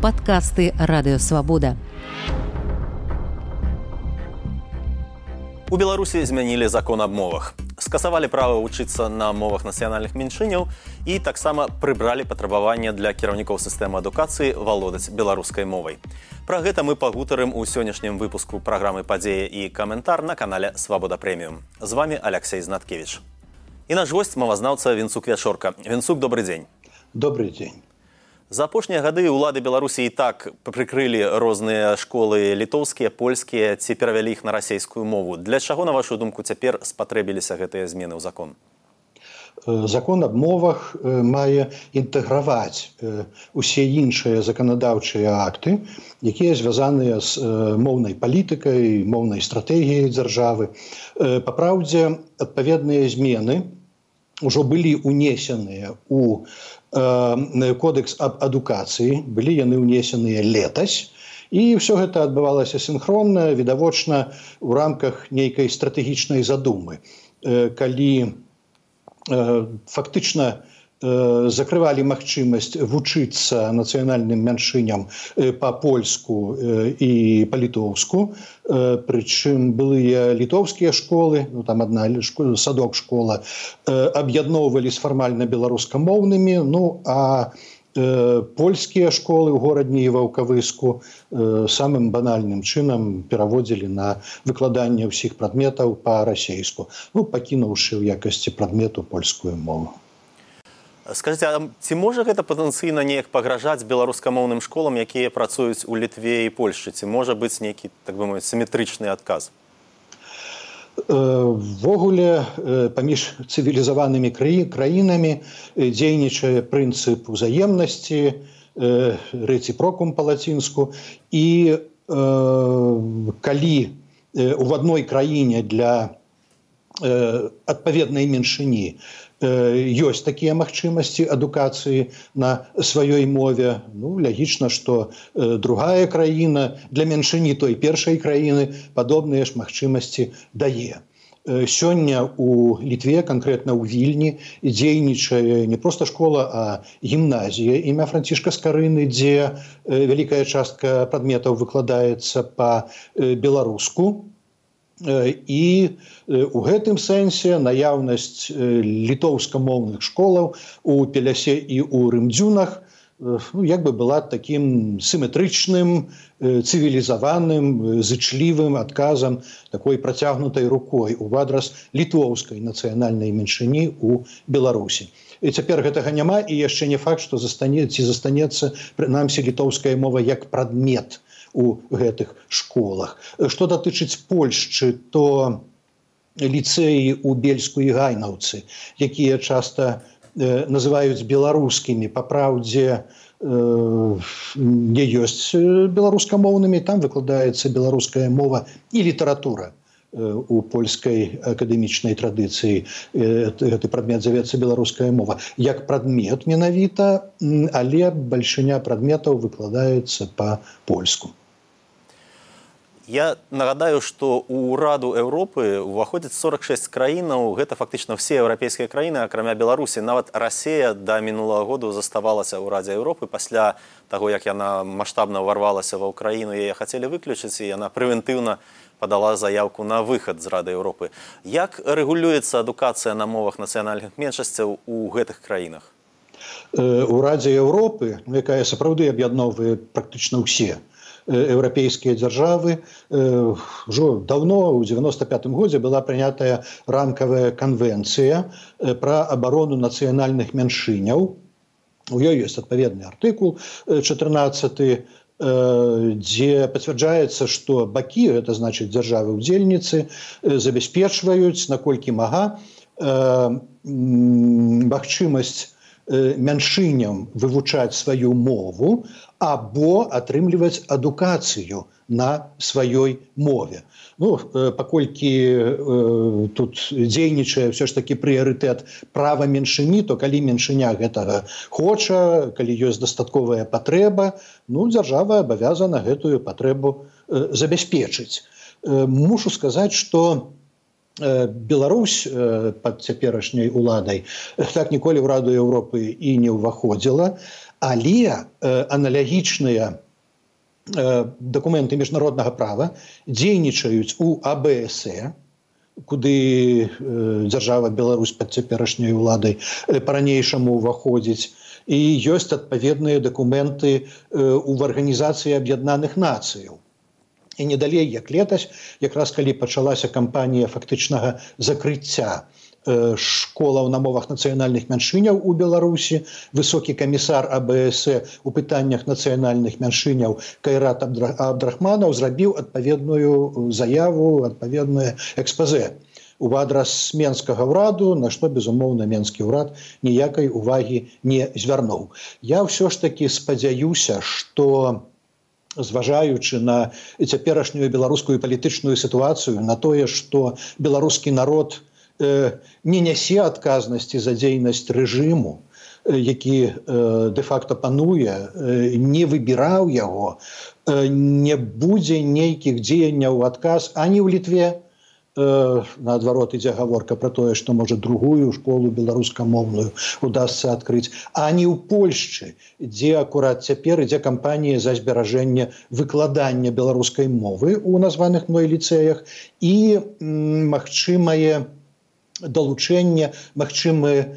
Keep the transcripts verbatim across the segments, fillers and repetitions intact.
Падкасты Радыёвабода. У Беларусі змянілі закон аб мовах. Скасавалі права вучыцца на мовах нацыянальных меншыняў і таксама прыбралі патрабаванне для кіраўнікоў сістэмы адукацыі валодаць беларускай мовай. Пра гэта мы пагутарым у сённяшнім выпуску праграмы «Падзея» і каментар на канале «Свабода Прэміум». З вами Алексей Знаткевич. І наш гость мовазнаўца Венцук Вячорка. Венцук, добрый дзень. Добрый дзень. За апошнія гады ўлады Беларусі і так прыкрылі розныя школы літоўскія, польскія, ці перавялі іх на расейскую мову. Для чаго, на вашу думку, цяпер спатрэбіліся гэтыя змены ў закон? Закон аб мовах мае інтэграваць усе іншыя заканадаўчыя акты, якія звязаныя з моўнай палітыкай, моўнай стратэгіяй дзяржавы. Па праўдзе, адпаведныя змены ўжо былі ўнесеныя ў Кодекс аб адукацыі, былі яны ўнесеныя летась, і ўсё гэта адбывалася сінхронна, відавочна ў рамках нейкай стратэгічнай задумы, калі фактычна закрывалі магчымасць вучыцца нацыянальным меншыням па-польску і па-літоўску, прычым былыя літоўскія школы, ну там адна садок школа, аб'ядноўвалі з фармальна беларускамоўнымі, ну а польскія школы ў горадні і ваўкавыску самым банальным чынам пераводзілі на выкладанне ўсіх прадметаў па-расейску, ну пакінуўшы ў якасці прадмету польскую мову. Скажыце, а ці можа гэта патэнцыйна неяк пагражаць беларускамоўным школам, якія працуюць у Літве і Польшчы? Ці можа быць нейкі, так бы мовіць, сіметрычны адказ? Ввогуле, паміж цывілізаванымі краінамі дзейнічае прынцып узаемнасці, рэцыпрокум па-лацінску, і калі ў адной краіне для адпаведнай меншыні ёсць такія магчымасці адукацыі на сваёй мове, ну, лягічна, што другая краіна для меншыні той першай краіны падобныя ж магчымасці дае. Сёння ў Літве, канкрэтна ў Вільні, дзейнічае не проста школа, а гімназія імя Францішка Скарыны, дзе вялікая частка прадметаў выкладаецца па-беларуску. І ў гэтым сэнсе наяўнасць літоўскамоўных школаў у Пелясе і ў Рымдзюнах ну, як бы была такім сіметрычным, цывілізаваным, зычлівым адказам, такой працягнутай рукой у адрас літоўскай нацыянальнай меншыні ў Беларусі. І цяпер гэтага няма, і яшчэ не факт, што застанецца, застанецца прынамсі літоўская мова як прадмет у гэтых школах. Што датычыць Польшчы, то ліцэі ў Бельску і Гайнаўцы, якія часта э, называюць беларускімі, па праўдзе э, не ёсць беларускамоўнымі, там выкладаецца беларуская мова і літаратура. У польскай акадэмічнай традыцыі гэты прадмет завецца беларуская мова як прадмет менавіта, але бальшыня прадметаў выкладаецца па-польску. Я нагадаю, што ў Раду Еўропы ўваходзіць сорок шэсць краінаў, гэта фактычна ўсе еўрапейскія краіны, акрамя Беларусі. Нават Расія да мінулага году заставалася ў Радзе Еўропы. Пасля таго, як яна маштабна ўварвалася ва ўкраіну, яе хацелі выключыць, і яна прэвентыўна падала заявку на выхад з Рады Еўропы. Як рэгулюецца адукацыя на мовах нацыянальных меншасцяў у гэтых краінах? У Радзе Еўропы, якая сапраўды аб'ядноўвае практычна ўсе еўрапейскія дзяржавы, ўжо даўно, у дзевяноста пятым годзе, была прынятая рамкавая канвенцыя пра абарону нацыянальных меншыняў. У ёй ёсць адпаведны артыкул чатырнаццаты, дзе пацвярджаецца, што бакі, гэта значыць дзяржавы-удзельніцы, забяспечваюць, наколькі мага, магчымасць меншыням вывучаць сваю мову або атрымліваць адукацыю на сваёй мове. Ну, паколькі э, тут дзейнічае ўсё ж такі прыярытэт права меншыні, то калі меншыня гэтага хоча, калі ёсць дастатковая патрэба, ну, дзяржава абавязана гэтую патрэбу э, забяспечыць. Э, мушу сказаць, што Беларусь пад цяперашняй уладай так ніколі ў Раду Еўропы і не ўваходзіла, Але аналагічныя дакументы міжнароднага права дзейнічаюць у А Бэ Эс Э, куды дзяржава Беларусь пад цяперашняй уладай па-ранейшаму ўваходзіць, і ёсць адпаведныя дакументы ў Арганізацыі Аб'яднаных Нацыяў. І не далей, як летась, якраз калі пачалася кампанія фактычнага закрыцця школаў на мовах нацыянальных мяншыняў у Беларусі, высокі камісар А Бэ Эс Э у пытаннях нацыянальных мяншыняў Кайрат Абдрахманаў зрабіў адпаведную заяву, адпаведнае экспазэ у адрас менскага ўраду, на што, безумоўна, менскі ўрад ніякай увагі не звярнуў. Я ўсё ж такі спадзяюся, што зважаючы на цяперашнюю беларускую палітычную сітуацыю, на тое, што беларускі народ не нясе адказнасці за дзейнасць рэжыму, які дэ-факта пануе, не выбіраў яго, не будзе нейкіх дзеянняў у адказ ані ў Літве, наадварот ідзе гаворка пра тое, што можа другую школу беларускамоўную удасца адкрыць, ані ў Польшчы, дзе акурат цяпер ідзе кампанія за зберажэнне выкладання беларускай мовы ў названых мной ліцэях і магчымае далучэнне, магчымае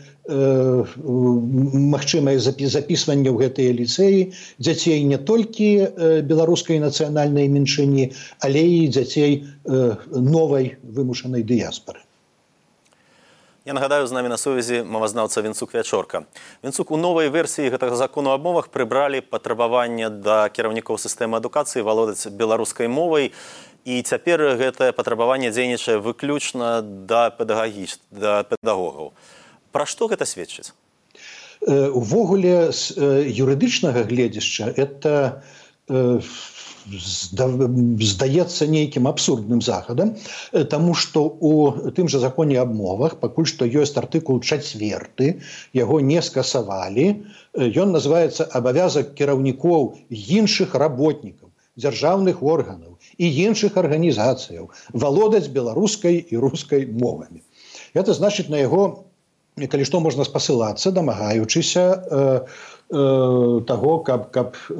магчымае запісванне ў гэтыя ліцэі дзяцей не толькі беларускай нацыянальнай меншыні, але і дзяцей новай вымушанай дыяспары. Я нагадаю, з намі на сувязі мовазнаўца Вінцук Вячорка. Вінцук, у новай версіі гэтага закону аб мовах прыбралі патрабаванне да кіраўнікоў сістэмы адукацыі валодаць беларускай мовай, і цяпер гэтае патрабаванне дзейнічае выключна да педагагіч, да педагогаў. Пра што гэта сведчыць? Увогуле, з юрыдычнага гледзяшча, это здаецца нейкім абсурдным захадам, таму што ў тым жа законе аб мовах пакуль што ёсць артыкул чацверты, яго не скасавалі. Ён называецца «Абавязак кіраўнікоў іншых работнікаў, дзяржаўных органаў і іншых арганізацыяў валодаць беларускай і рускай мовамі». Это значыць, на яго, калі што, можна спасылацца, дамагаючыся э, э, таго, каб, каб э,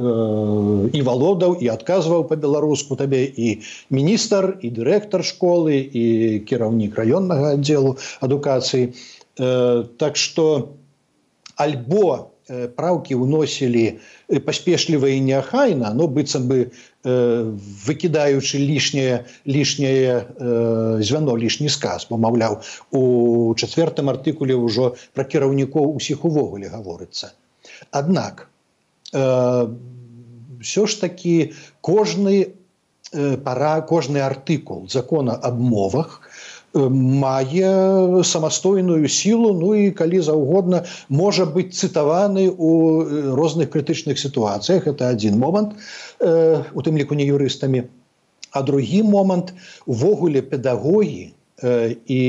і валодаў, і адказваў па-беларуску табе і міністр, і дырэктар школы, і кіраўнік раённага аддзелу адукацыі. Э, так што альбо праўкі ўносілі паспешліва і неахайна, но быццам бы выкідаючы лішняе лішняе звяно, лішні сказ, бо, маўляў, у чацвертым артыкуле ўжо пра кіраўнікоў усіх увогуле гаворыцца. Аднак ўсё ж такі кожны пара, кожны артыкул закона аб мовах мае самастойную сілу, ну і калі заўгодна можа быць цытаваны ў розных крытычных сітуацыях. Это адзін момант, у тым ліку не юрыстамі. А другі момант, увогуле педагогі і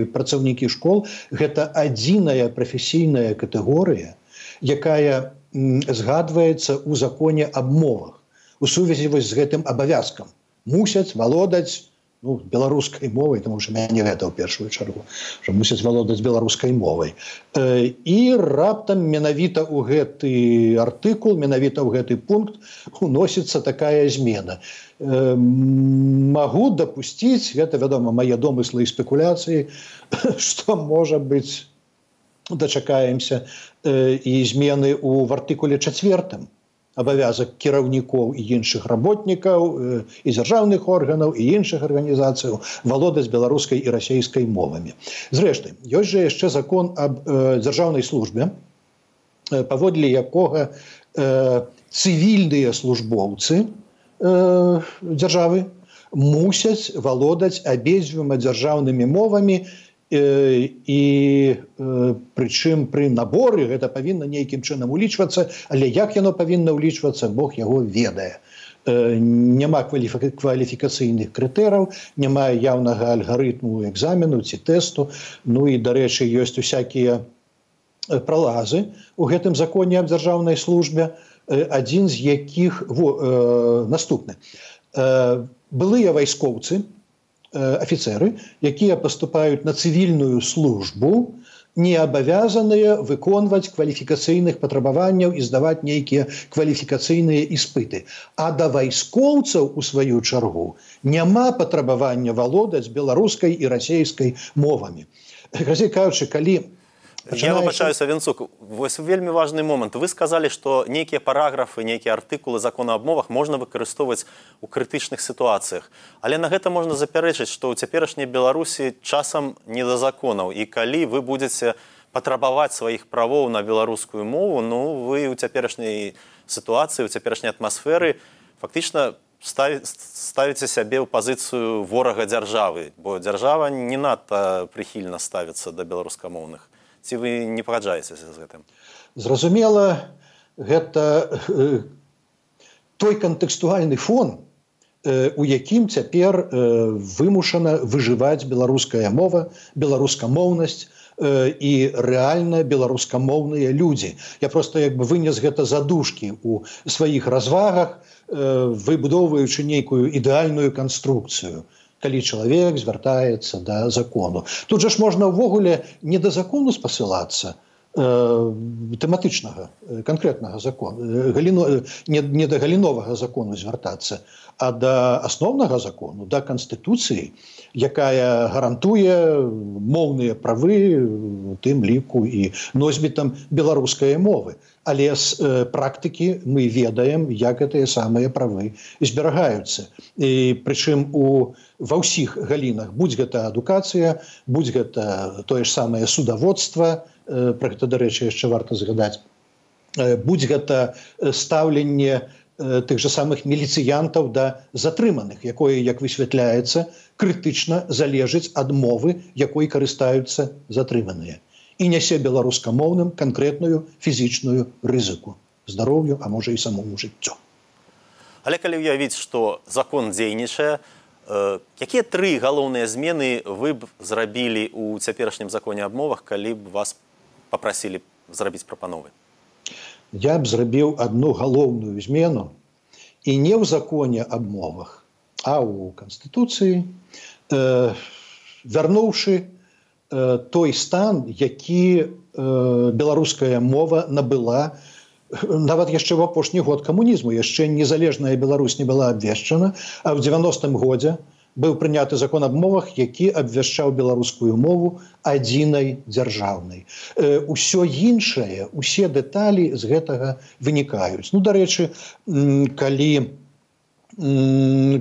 працаўнікі школ гэта адзіная прафесійная катэгорыя, якая згадваецца ў законе аб мовах у сувязі з гэтым абавязкам. Мусяць валодаць ну, беларускай мовай, тому што мяне гэта ў першую чаргу, што мусяць валодаць беларускай мовай. І раптам менавіта ў гэты артыкул, менавіта ў гэты пункт уносіцца такая змена. Магу дапусціць, гэта, вядома, мае домыслы і спекуляцыі, што, можа быць, дачакаемся і змены ў артыкуле чацвертым. Абавязак кіраўнікоў і іншых работнікаў, і дзяржаўных органаў, і іншых арганізацыяў валодаць беларускай і расейскай мовамі. Зрэшты, ёсць жа яшчэ закон аб дзяржаўнай службе, паводле якога цывільныя службоўцы дзяржавы мусяць валодаць абедзвюма дзяржаўнымі мовамі, і прычым пры наборы гэта павінна нейкім чынам улічвацца, але як яно павінна ўлічвацца, Бог яго ведае. Няма кваліфікацыйных крытэраў, няма яўнага алгарытму экзамену ці тэсту, ну і, дарэчы, ёсць усякія пралазы у гэтым законе аб дзяржаўнай службе, адзін з якіх наступны. Былыя вайскоўцы, афіцеры, якія паступаюць на цывільную службу, не абавязаныя выконваць кваліфікацыйных патрабаванняў і здаваць нейкія кваліфікацыйныя іспыты. А да вайскоўцаў, у сваю чаргу, няма патрабавання валодаць беларускай і расейскай мовамі. Казей кажучы, калі Я выбачаюся, Венцук, вось вельмі важны момант. Вы сказалі, што нейкія параграфы, нейкія артыкулы закона аб мовах можна выкарыстоўваць у крытычных сітуацыях. Але на гэта можна запярэчыць, што ў цяперашняй Беларусі часам не да законаў. І калі вы будзеце патрабаваць сваіх правоў на беларускую мову, ну, вы ў цяперашняй сітуацыі, у цяперашняй атмасферы фактычна ставіце сябе ў пазіцыю ворага дзяржавы, бо дзяржава не надта прыхільна ставіцца да беларускамоўных. Ці вы не пагаджаецеся з гэтым? Зразумела, гэта э, той кантэкстуальны фон, э, у якім цяпер э, вымушана выжываць беларуская мова, беларускамоўнасць э, і рэальна беларускамоўныя людзі. Я проста як бы вынес гэта задушкі ў сваіх развагах, э, выбудоўваючы нейкую ідэальную канструкцыю, калі чалавек звяртаецца да закону. Тут жа ж можна ўвогуле не да закону спасылацца, э, тэматычнага, канкрэтнага закону, галіно, не, не да галіновага закону звяртацца, а да асноўнага закону, да Канстытуцыі, якая гарантуе моўныя правы, у тым ліку і носьбітам беларускай мовы. Але з э, практыкі мы ведаем, як гэтыя самыя правы зберагаюцца. І прычым у ва ўсіх галінах, будь гэта адукацыя, будь гэта тое ж самае судаводства, э, пра гэта, дарэчы, яшчэ варта згадаць, э, будь гэта стаўленне э, тых жа самых міліцыянтаў да затрыманых, якое, як высвятляецца, крытычна залежыць ад мовы, якой карыстаюцца затрыманыя. І нясе беларускамоўным канкрэтную фізічную рызыку, здароўю, а можа і самому жыццю. Але калі ўявіць, што закон дзейнічае, э, якія тры галоўныя змены вы б зрабілі ў цяперашнім законе аб мовах, калі б вас папрасілі зрабіць прапановы? Я б зрабіў адну галоўную змену і не ў законе аб мовах, а ў Канстытуцыі, э, вярнуўшы той стан, які э, беларуская мова набыла нават яшчэ ў апошні год камунізму. Яшчэ незалежная Беларусь не была абвешчана, а ў дзевяностым годзе быў прыняты закон аб мовах, які абвяшчаў беларускую мову адзінай дзяржаўнай. Э, усё іншае, усе дэталі з гэтага вынікаюць. Ну, дарэчы, калі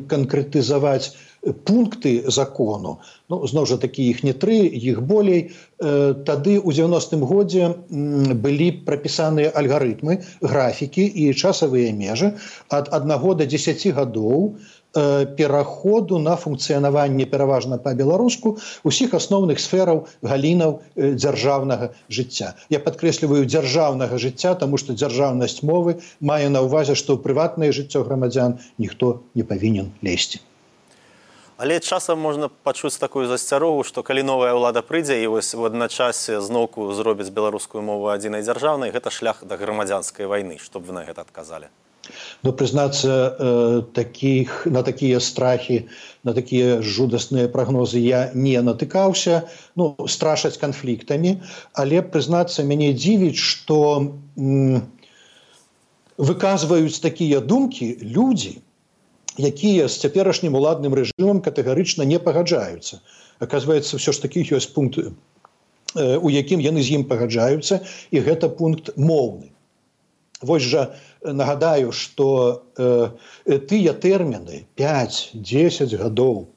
канкрэтызаваць пункты закону, ну, зноў жа такі іх не тры, іх болей, э, тады ў дзевяностым годзе былі прапісаныя алгарытмы, графікі і часавыя межы ад аднаго да дзесяці гадоў э, пераходу на функцыянаванне пераважна па-беларуску усіх асноўных сфераў галінаў э, дзяржаўнага жыцця. Я падкрэсліваю дзяржаўнага жыцця, таму што дзяржаўнасць мовы мае на ўвазе, што ў прыватнае жыццё грамадзян ніхто не павінен лезці. Але часам можна пачуць такую засцярогу, што калі новая ўлада прыйдзе і вось у адначасе зноўку зробіць беларускую мову адзінай дзяржаўнай, гэта шлях да грамадзянскай вайны. Што б вы на гэта адказалі? Ну, прызнацца, э, такіх, на такія страхі, на такія жудасныя прагнозы я не натыкаўся. Ну, страшаць канфліктамі, але, прызнацца, мяне дзівіць, што м, выказваюць такія думкі людзі, якія з цяперашнім уладным рэжымам катэгарычна не пагаджаюцца. Аказваецца, ўсё ж такі ёсць пункт, у якім яны з ім пагаджаюцца, і гэта пункт моўны. Вось жа нагадаю, што э, тыя тэрміны пяць-дзесяць гадоў,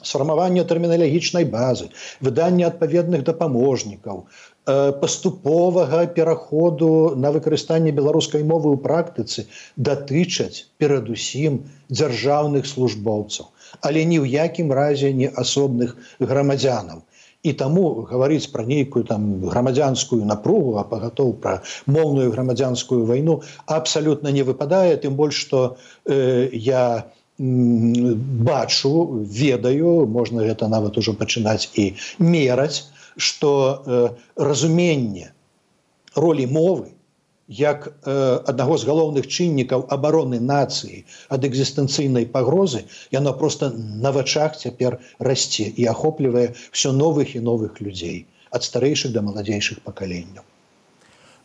сфармаванне тэрміналагічнай базы, выданне адпаведных дапаможнікаў, паступовага пераходу на выкарыстанне беларускай мовы ў практыцы датычаць перадусім дзяржаўных службоўцаў, але ні ў якім разе не асобных грамадзянаў. І таму гаварыць пра нейкую там грамадзянскую напругу, а пагатоў пра моўную грамадзянскую вайну абсалютна не выпадае, тым больш, што э, я бачу, ведаю, можна гэта нават ужо пачынаць і мераць, што э, разуменне ролі мовы як э, аднаго з галоўных чыннікаў абароны нацыі ад экзістэнцыйнай пагрозы, яно проста на вачах цяпер расце і ахоплівае ўсё новых і новых людзей. ад старэйшых да маладзейшых пакаленняў.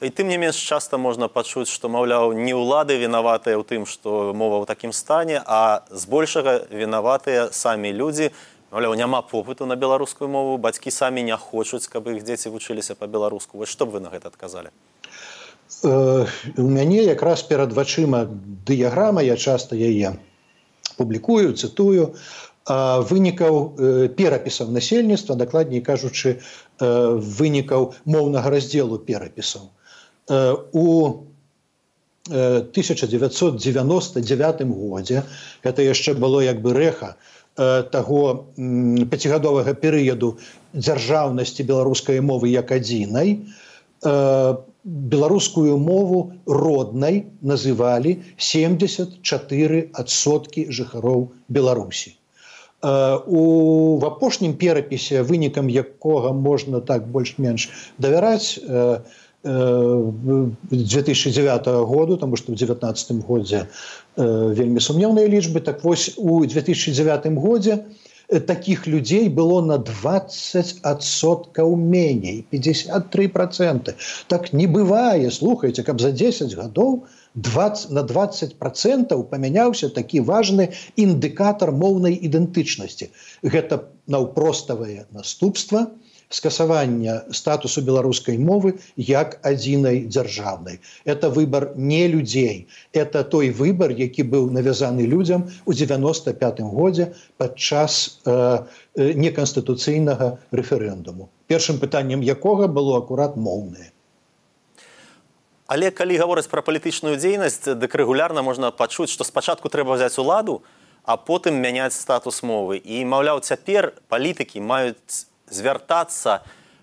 І тым не менш часта можна пачуць, што, маўляў, не ўлады вінаватыя ў тым, што мова ў такім стане, а збольшага вінаватыя самі людзі. Маўляў, няма попыту на беларускую мову, бацькі самі не хочуць, каб іх дзеці вучыліся па-беларуску. Вось што б вы на гэта адказалі? Э, у мяне якраз перад вачыма дыяграма, я часта яе публікую, цытую, вынікаў э, перапісаў насельніцтва, дакладней кажучы, э, вынікаў моўнага раздзелу перапісаў. У тысяча дзевяцьсот дзевяноста дзевятым годзе, гэта яшчэ было як бы рэха таго пяцігадовага перыяду дзяржаўнасці беларускай мовы як адзінай, беларускую мову роднай называлі семьдесят чатыры адсоткі жыхароў Беларусі. У в апошнім перапісе, вынікам якога можна так больш-менш давяраць, две тысячи девятого году, тому што ў девятнадцатым годзе вельмі сумнеўныя лічбы. Так вось, у две тысячи девятым годзе таких людзей было на двадцать адсоткаў меней, пятьдесят три процента. Так не бывае, слухайце, каб за десять гадоў на двадцать процентаў памяняўся такі важны індыкатар моўнай ідэнтычнасці. Гэта наўпроставае наступства скасавання статусу беларускай мовы як адзінай дзяржаўнай. Это выбор не людзей. Это той выбор, які быў навязаны людзям у девяносто пятым годзе падчас э, неканстытуцыйнага рэферэндуму, першым пытаннем якога было акурат моўнае. Але калі гавораць пра палітычную дзейнасць, дык рэгулярна можна пачуць, што спачатку трэба взяць уладу, а потым мяняць статус мовы. І, маўляў, цяпер палітыкі маюць звяртацца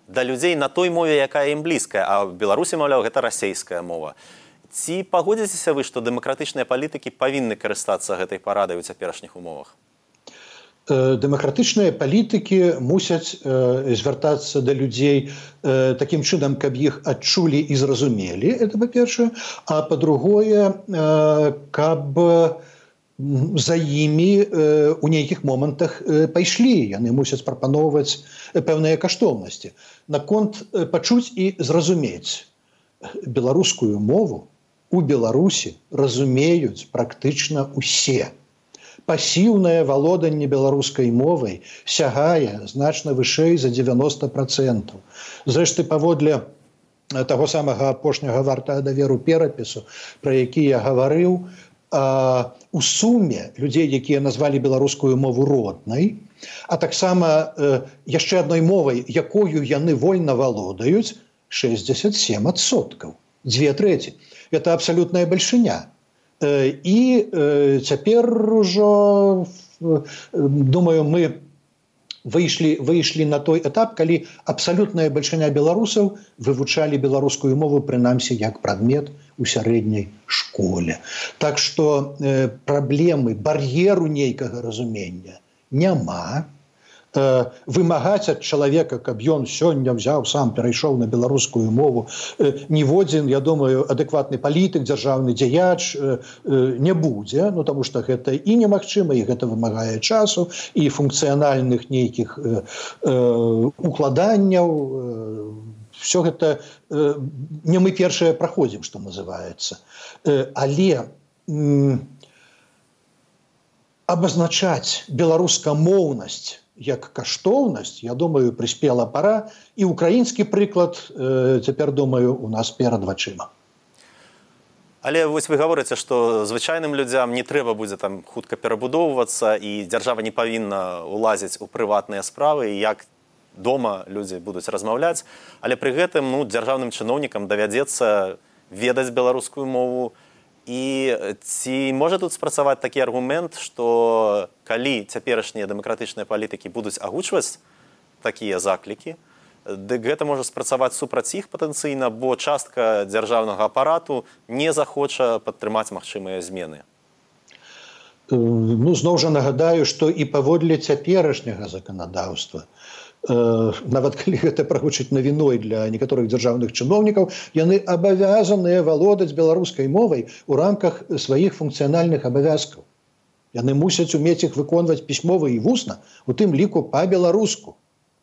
да людзей на той мове, якая ім блізкая, а в Беларусі, маўляў, гэта расейская мова. Ці пагодзіцеся вы, што дэмакратычныя палітыкі павінны карыстацца гэтай парадай у цяперашніх умовах? Дэмакратычныя палітыкі мусяць э, звяртацца да людзей э, такім чынам, каб іх адчулі і зразумелі, это па-першае, а па-другое, э, каб за імі э, у нейкіх момантах э, пайшлі. Яны мусяць прапаноўваць пэўныя каштоўнасці. Наконт э, пачуць і зразумець. Беларускую мову у Беларусі разумеюць практычна ўсе. Пасіўнае валоданне беларускай мовай сягае значна вышэй за девяносто процентов. Зрэшты, паводле таго самага апошняга вартага даверу перапісу, пра які я гаварыў, а, у суме людзей, якія назвалі беларускую мову роднай, а таксама э, яшчэ адной мовай, якою яны вольна валодаюць, шестьдесят семь адсоткаў, две треці. Это абсалютная бальшыня. Э, і э, цяпер ужо, э, думаю, мы выйшлі, выйшлі на той этап, калі абсалютная бальшыня беларусаў вывучалі беларускую мову, прынамсі, як прадмет у сярэдняй школе. Так што э, праблемы, бар'еру нейкага разумення няма. Э, вымагаць ад чалавека, каб ён сёння взяў, сам перайшоў на беларускую мову, э, ніводзін, я думаю, адэкватны палітык, дзяржаўны дзеяч э, э, не будзе, ну, таму што гэта і немагчыма, і гэта вымагае часу, і функцыянальных нейкіх э, э, укладанняў. Э, Все гэта э, не мы першыя праходзім, што называецца. Э, але м, абазначаць беларускамоўнасць як каштоўнасць, я думаю, прыспела пара, і украінскі прыклад, э, цяпер, думаю, у нас перад вачыма. Але вось вы гаворыце, што звычайным людзям не трэба будзе там хутка перабудоўвацца, і дзяржава не павінна ўлазіць у прыватныя справы, і як дома людзі будуць размаўляць, але пры гэтым, ну, дзяржаўным чыноўнікам давядзецца ведаць беларускую мову. І ці можа тут спрацаваць такі аргумент, што калі цяперашнія дэмакратычныя палітыкі будуць агучваць такія заклікі, дык гэта можа спрацаваць супраць іх патэнцыйна, бо частка дзяржаўнага апарату не захоча падтрымаць магчымыя змены. Ну, зноў жа нагадаю, што і паводле цяперашняга заканадаўства, нават калі гэта прагучыць навіной для некаторых дзяржаўных чыноўнікаў, яны абавязаныя валодаць беларускай мовай у рамках сваіх функцыянальных абавязкаў. Яны мусяць умець іх выконваць пісьмова і вусна, у тым ліку па-беларуску.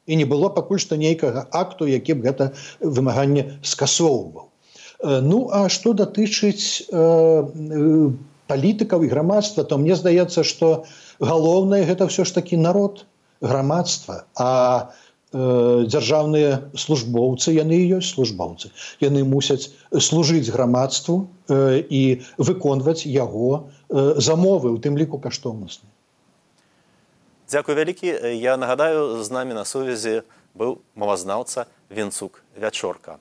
і не было пакуль што нейкага акту, які б гэта вымаганне скасоўваў. Ну, а што датычыць э, палітыкаў і грамадства, то мне здаецца, што галоўнае гэта ўсё ж такі народ, грамадства, а э, дзяржаўныя службоўцы, яны і ёсць службоўцы. Яны мусяць служыць грамадству э, і выконваць яго э, замовы, у тым ліку каштоўнасныя. Дзякуй вялікі. Я нагадаю, з намі на сувязі быў мовазнаўца Венцук Вячорка.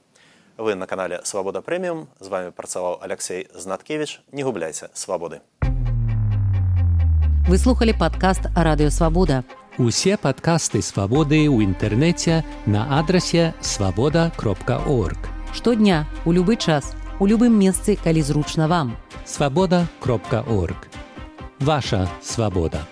Вы на канале «Свабода Прэміум». З вами працаваў Алексей Знаткевич. Не губляйце свабоды. Вы слухали падкаст «Радыё Свабода». Усе падкасты «Свабоды» ў інтэрнэце на адрасе свабода кропка орг. Штодня, у любы час, у любым месцы, калі зручна вам. свабода кропка орг. Ваша свабода.